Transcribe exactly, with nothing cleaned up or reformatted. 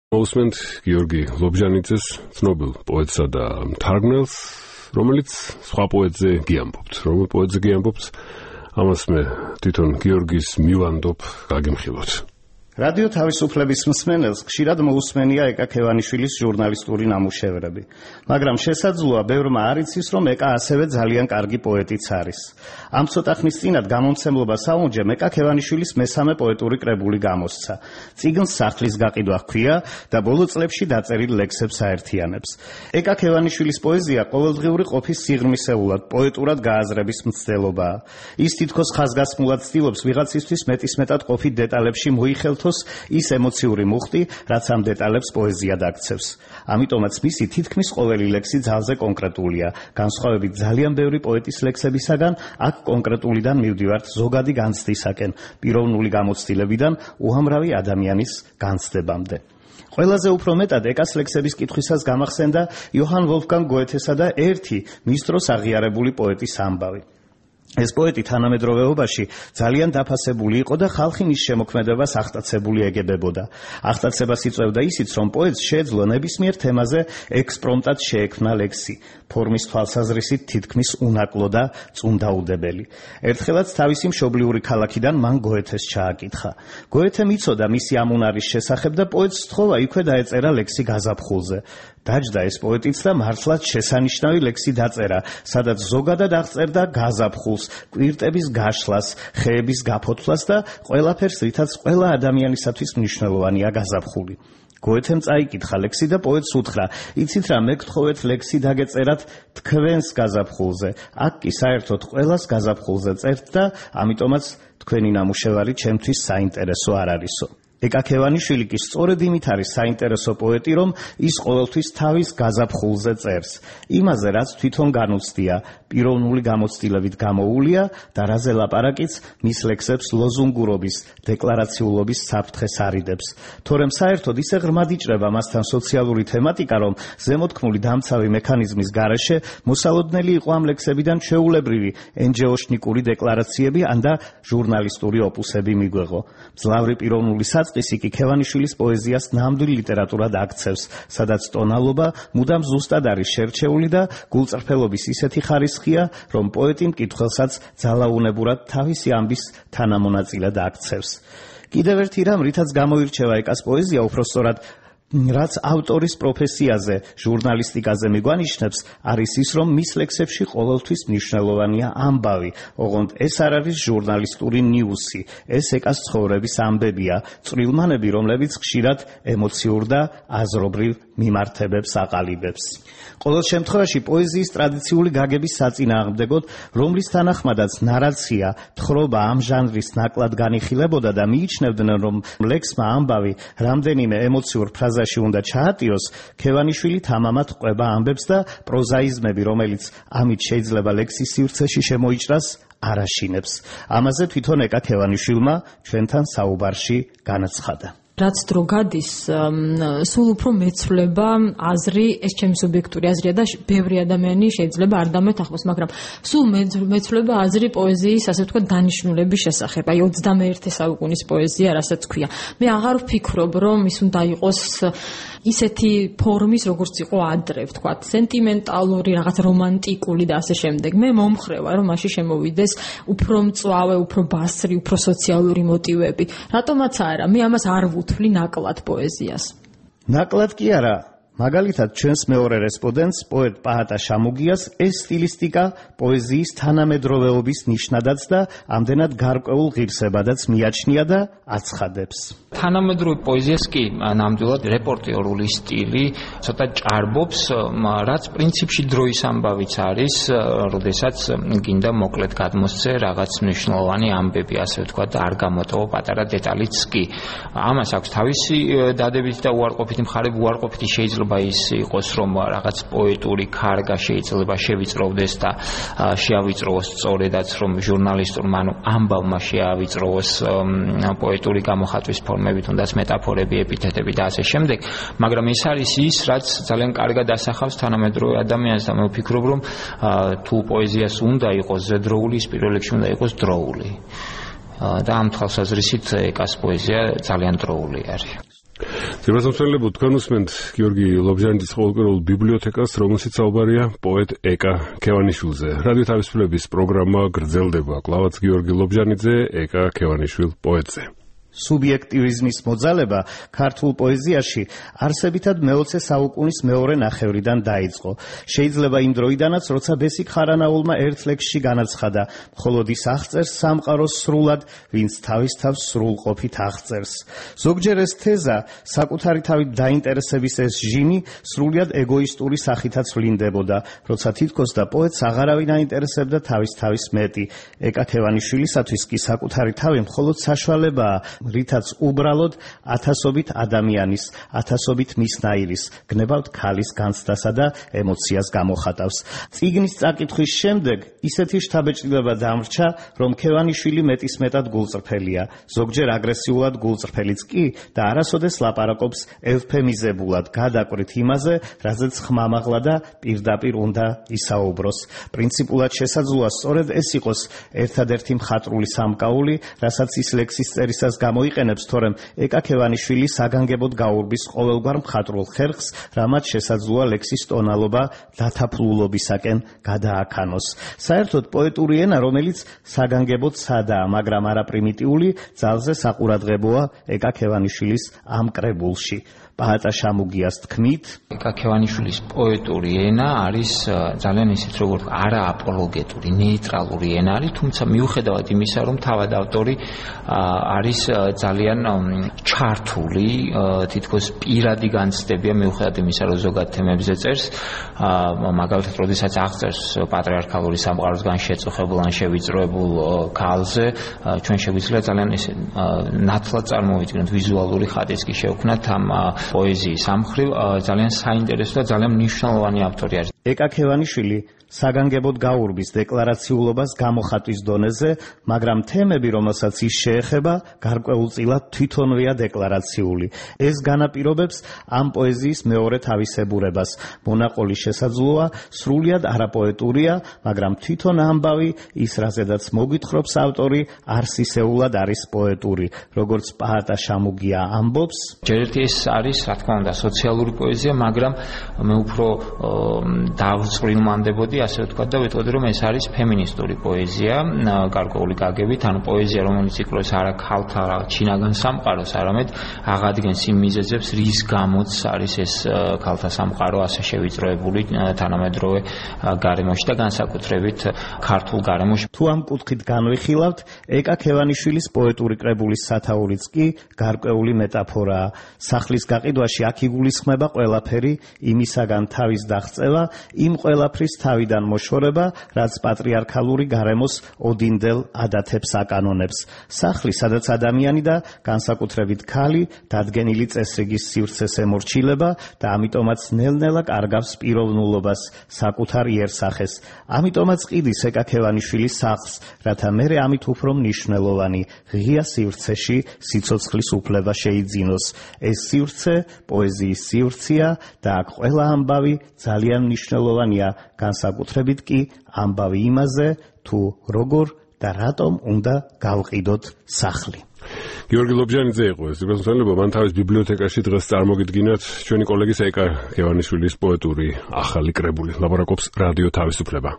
Mosment Georgi Lobzhanitses ცნობილ პოეტსა და მთარგმნელს, რომელიც სხვა პოეტზე გიამბობთ. რომელ პოეტზე გიამბობთ? ამას მე თვითონ გიორგის მივანდობ, გაგიმხილოთ. რადიო თავისუფლების მსმენელს ხშირად მოусმენია ეკა ქევანიშვილის ჟურნალისტური ნამუშევრები, მაგრამ შესაძლოა ბევრმა არ იცის, რომ ეკა ასევე ძალიან კარგი პოეტიც არის. ამ ცოტა ხნის წინათ გამომცემლობა საუნჯემ ეკა ქევანიშვილის მესამე პოეტური კრებული გამოსცა. წიგნს სახლის გაყიდვა ჰქვია და ბოლო წლებში დაწერილ ლექსებს აერთიანებს. ეკა ქევანიშვილის პოეზია ყოველდღიური ყოფის სიღრმისეულად, პოეტურად გააზრების მცდელობაა. ის თითქოს ხაზგასმულად ცდილობს ვიღაცისთვის მეტისმეტად ყოფით დეტალებში მოიხელთოს ის ემოციური მუხტი, რაც ამ დეტალებს პოეზიად აქცევს. ამიტომაც მისი თითქმის ყოველი ლექსი ძალზე კონკრეტულია. განსხვავებით ძალიან ბევრი პოეტის ლექსებისაგან, აქ კონკრეტულიდან მივდივართ ზოგადი განცდისაკენ, პიროვნული გამოცდილებიდან უამრავი ადამიანის განცდებამდე. ყველაზე უფრო მეტად ეკას ლექსების კითხვისას გამახსენდა იოჰან ვოლფგანგ გოეთესა და ერთი მის დროს აღიარებული პოეტის ამბავი. ეს პოეტი თანამედროვეობაში ძალიან დაფასებული იყო და ხალხი მის შემოქმედებას აღტაცებული ეგებებოდა. აღტაცებას იწვევდა ისიც, რომ პოეტს შეეძლო ნებისმიერ თემაზე ექსპრომტად შეექმნა ლექსი, ფორმის თვალსაზრისით თითქმის უნაკლო და წუნდაუდებელი. ერთხელაც თავისი მშობლიური ქალაქიდან მან გოეთეს ჩააკითხა. გოეთემ იცოდა მისი ამ უნარის შესახებ და პოეტს სთხოვა იქვე დაეწერა ლექსი გაზაფხულზე. დაჯდა ეს პოეტიც და მართლაც შესანიშნავი ლექსი დაწერა, სადაც ზოგადად აღწერდა გაზაფხულს, კვირტების გაშლას, ხეების გაფოთვლას და ყველაფერს, რითაც ყველა ადამიანისათვის მნიშვნელოვანია გაზაფხული. გოეთემ წაიკითხა ლექსი და პოეტს უთხრა: იცით რა, მე გთხოვეთ ლექსი დაგეწერათ თქვენს გაზაფხულზე. აქ კი საერთოდ ყველას გაზაფხულზე წერთ და ამიტომაც თქვენი ნამუშევარი ჩემთვის საინტერესო არ არისო. ეკა ქევანიშვილი კი სწორედ იმით არის საინტერესო პოეტი, რომ ის ყოველთვის თავის გაზაფხულზე წერს. იმაზე, რაც თვითონ განუცდია, პიროვნული გამოცდილებით გამოუულია და რაზე ლაპარაკიც მის ლექსებს ლოზუნგურობის, დეკლარაციულობის საფრთხეს არიდებს. თორემ საერთოდ ისე ღრმად იჭრება მასთან სოციალური თემატიკა, რომ ზემოთქმული დამცავი მექანიზმის გარეშე მოსალოდნელი იყო ამ ლექსებიდან ჩვეულებრივი ენჯეოშნიკური დეკლარაციები ან და ჟურნალისტური ოპუსები მიგვეღო. მძლავრი პიროვნული საწყისი კი ქევანიშვილის პოეზიას ნამდვილ ლიტერატურად აქცევს, სადაც ტონალობა მუდამ ზუსტად არის შერჩეული და გულწრფელობის ისეთი ხარისხია, რომ პოეტი მკითხველსაც ძალაუნებურად თავისი ამბის თანამონაწილედ აქცევს. კიდევ ერთი რამ, რითაც გამოირჩევა ეკას პოეზია, უпростоრად რაც ავტორის პროფესიაზე, ჟურნალისტიკაზე მიგვანიშნებს, არის ის, რომ მის ლექსებში ყოველთვის მნიშვნელოვანია ამბავი. ოღონდ ეს არ არის ჟურნალისტური ნიუსი, ეს ეკას ცხოვრების ამბებია, წვრილმანები, რომლებიც ხშირად ემოციურ და აზრობრივ მიმართებებს აყალიბებს. ყოველ შემთხვევაში პოეზიის ტრადიციული გაგების საწინააღმდეგოდ, რომლის თანახმადაც ნარაცია, თხრობა ამ ჟანრის ნაკლად განიხილებოდა და მიიჩნევდნენ, რომ ლექსმა ამბავი რამდენიმე ემოციურ ფრაზაში უნდა ჩაატიოს, ქევანიშვილი თამამად ყვება ამბებს და პროზაიზმები, რომელიც ამით შეიძლება ლექსის სივრცეში შემოიჭრას, არ აშინებს. ამაზე თვითონ ეკა ქევანიშვილმა ჩვენთან საუბარში განაცხადა. რაც დრო გადის, სულ უფრო მეცვლება აზრი, ეს ჩემი სუბიექტური აზრია და ბევრი ადამიანი შეიძლება არ დამეთანხმოს, მაგრამ სულ მეცვლება აზრი პოეზიის, ასე ვთქვათ, დანიშნულების შესახებ. აი ოცდამეერთე საუკუნის პოეზია, რასაც ქვია. მე აღარ ვფიქრობ, რომ ის უნდა იყოს ისეთი ფორმის, როგორც იყო ადრე, ვთქვათ, სენტიმენტალური, რაღაც რომანტიკული და ასე შემდეგ. მე მომხრევა, რომ მაშინ შემოვიდეს უფრო მწვავე, უფრო ბასრი, უფრო სოციალური მოტივები. რატომაც არა, მე ამას არ ვუთვლი ნაკლად პოეზიას. ნაკლად კი არა. მაგალითად, ჩვენს მეორე რესპონდენტს, პოეტ პაატა შამუგიას, ეს სტილისტიკა პოეზიის თანამედროვეობის ნიშნადაც და ამდენად გარკვეულ ღირსებადაც მიაჩნია და აცხადებს. თანამედროვე პოეზიას კი ნამდვილად რეპორტიორული სტილი ცოტა ჭარბობს, რაც პრინციპში დროის ამბავიც არის, როდესაც გინდა მოკლედ გადმოსცე რაღაც მნიშვნელოვანი ამბები, ასე ვთქვათ, და არ გამოტოვო პატარა დეტალიც კი. ამას აქვს თავისი დადებითი და უარყოფითი მხარე, უარყოფითი შეიძლება ის იყოს, რომ რაღაც პოეტური ქარგა შეიძლება შევიწროვდეს და შეავიწროვოს სწორედაც, რომ ჟურნალისტურმა, ანუ ამბავმა შეავიწროვოს პოეტური გამოხატვის ფორმები, თუნდაც მეტაფორები, ეპითეტები და ასე შემდეგ, მაგრამ ეს არის ის, რაც ძალიან კარგად ასახავს თანამედროვე ადამიანს და მე ვფიქრობ, რომ თუ პოეზიას უნდა იყოს ზედროული, ის პირველ რიგში უნდა იყოს დროული. და ამ თვალსაზრისით ეკას პოეზია ძალიან დროული არის. ძირფასმცველებო, თქვენ უსმენთ გიორგი ლობჟანიძის ყოველკვირეულ ბიბლიოთეკას, რომელშიც საუბარია პოეტ ეკა ქევანიშვილზე. რადიო თავისუფლების პროგრამა გრძელდება. კლავაც გიორგი ლობჟანიძე, ეკა ქევანიშვილ პოეტზე. სუბიექტივიზმის მოძალება ქართულ პოეზიაში არსებითად მეოცე საუკუნის მეორე ნახევრიდან დაიწყო. შეიძლება იმ დროიდანაც, როცა ბესიკ ხარანაულმა ერთ ლექსში განაცხადა, მხოლოდ ის აღწერს სამყაროს სრულად, ვინც თავის თავს სრულყოფით აღწერს. ზოგჯერ ეს თეზა, საკუთარი თავით დაინტერესების ეს ჟიმი, სრულიად ეგოისტური სახითაც ვლინდებოდა, როცა თითქოს და პოეტს აღარავინ აინტერესებდა თავის თავის მეტი. ეკა ქევანიშვილისათვის კი საკუთარი თავი მხოლოდ საშუალებაა, რითაც უბრალოდ ათასობით ადამიანის, ათასობით მისნაირის, გნებავთ ქალის განცდასა და ემოციას გამოხატავს. წიგნის წაკითხვის შემდეგ ისეთი შთაბეჭდილება დამრჩა, რომ ქევანიშვილი მეტისმეტად გულწრფელია, ზოგჯერ აგრესიულად გულწრფელიც კი და არასოდეს ლაპარაკობს ევფემიზებულად, გადაკვრით იმაზე, რაზეც ხმამაღლა და პირდაპირ უნდა ისაუბროს. პრინციპულად შესაძლოა სწორედ ეს იყოს ერთადერთი მხატვრული სამკაული, რასაც ის ლექსის წერისას გამოიყენებს, თორემ ეკა ქევანიშვილი საგანგებოდ გაურბის ყოველგვარ მხატვრულ ხერხს, რამაც შესაძლოა ლექსის ტონალობა დათაფლულობისაკენ გადააქანოს. საერთოდ პოეტური ენა, რომელიც საგანგებოდ სადაა, მაგრამ არა პრიმიტიული, ძალზე საყურადღებოა ეკა ქევანიშვილის ამ კრებულში. პაატა შამუგიას თქმით, ეკა ქევანიშვილის პოეტური ენა არის ძალიან ისეთ როგორც არააპოლოგეტური, ნეიტრალური ენა არის, თუმცა მიუხედავად იმისა, რომ თავად ავტორი არის ძალიან ჩართული, თითქოს პირადი განცდებია, მიუხედავად იმისა, რომ ზოგად თემებზე წერს, მაგალითად, როდესაც აღწერს პატრიარქალური სამყაროსგან შეწუხებულ ან შევიწროებულ ქალზე, ჩვენ შეგვიძლია ძალიან ისე ნათლად წარმოვიდგინოთ, ვიზუალური ხატიც კი შევქმნათ ამ პოეზიის ამხრივ, ძალიან საინტერესო და ძალიან მნიშვნელოვანი ავტორი არის. ეკა ქევანიშვილი საგანგებოდ გაურბის დეკლარაციულობას გამოხატვის დონეზე, მაგრამ თემები, რომელსაც ის შეეხება, გარკვეულწილად თვითონვეა დეკლარაციული. ეს განაპირობებს ამ პოეზიის მეორე თავისებურებას. მონაყოლი შესაძლოა სრულიად არაპოეტურია, მაგრამ თვითონ ამბავი, ის რაზედაც მოგვითხრობს ავტორი, არსისეულად არის პოეტური. როგორც პაატა შამუგია ამბობს, ჯერ ერთი ეს არის, რა თქმა უნდა, სოციალური პოეზია, მაგრამ მე უფრო დავწყვილმანდებოდი ასე ვთქვათ და ვიტყოდი, რომ ეს არის ფემინისტური პოეზია, გარკვეული გაგებით, ანუ პოეზია, რომელიც იკვლევს არა ქალთა ჩინაგან სამყაროს, არამედ აღადგენს იმ მიზეზებს, რის გამოც არის ეს ქალთა სამყარო ასე შევიწროებული თანამედროვე გარემოში და განსაკუთრებით ქართულ გარემოში. თუ ამ კუთხით განვიხილავთ, ეკა ქევანიშვილის პოეტური კრებულის სათაურიც კი გარკვეული მეტაფორაა. სახლის გაყიდვაში აქ იგულისხმება ყველაფერი, იმისაგან თავის დაღწევა, იმ ყველაფრის თავიდან მოშორება, რაც პატრიარქალური გარემოს ოდინდელ ადათებს აკანონებს. სახლი, სადაც ადამიანი და განსაკუთრებით ქალი დადგენილი წესრიგის სივრცეს ემორჩილება და ამიტომაც ნელ-ნელა კარგავს პიროვნულობას, საკუთარ იერსახეს. ამიტომაც ყიდის ეკა ქევანიშვილის სახლს, რათა მერე ამით უფრო მნიშვნელოვანი ღია სივრცეში სიცოცხლის უფლება შეიძინოს. ეს სივრცე პოეზიის სივრცეა და აქ ყველა ამბავი ძალიან მნიშვნელოვანია, განსაკუთრებით კი ამბავი იმაზე, თუ როგორ და რატომ უნდა გავყიდოთ სახლი. გიორგი ლობჟანიძე იყო ეს. ძირფასმცველებო, მან თავის ბიბლიოთეკაში დღეს წარმოგიდგინათ ჩვენი კოლეგის ეკა ქევანიშვილის პოეტური ახალი კრებული. ლაპარაკობს რადიო თავისუფლება.